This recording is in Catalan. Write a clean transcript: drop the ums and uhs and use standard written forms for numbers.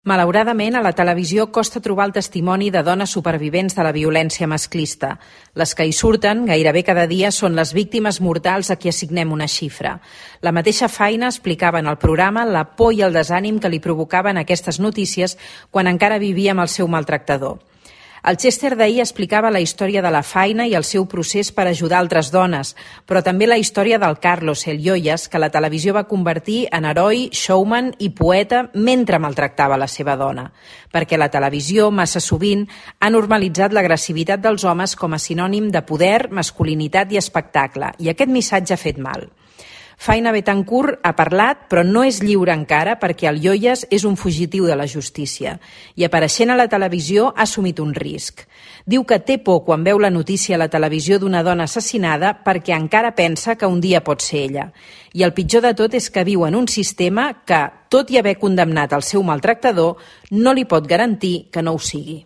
Malauradament, a la televisió costa trobar el testimoni de dones supervivents de la violència masclista. Les que hi surten, gairebé cada dia, són les víctimes mortals a qui assignem una xifra. La mateixa Faina explicava en el programa la por i el desànim que li provocaven aquestes notícies quan encara vivia amb el seu maltractador. El Chester d'ahir explicava la història de la Faina i el seu procés per ajudar altres dones, però també la història del Carlos, el Yoyas, que la televisió va convertir en heroi, showman i poeta mentre maltractava la seva dona. Perquè la televisió, massa sovint, ha normalitzat l'agressivitat dels homes com a sinònim de poder, masculinitat i espectacle, i aquest missatge ha fet mal. Faina Betancourt ha parlat, però no és lliure encara perquè el Yoyas és un fugitiu de la justícia i apareixent a la televisió ha assumit un risc. Diu que té por quan veu la notícia a la televisió d'una dona assassinada perquè encara pensa que un dia pot ser ella. I el pitjor de tot és que viu en un sistema que, tot i haver condemnat el seu maltractador, no li pot garantir que no ho sigui.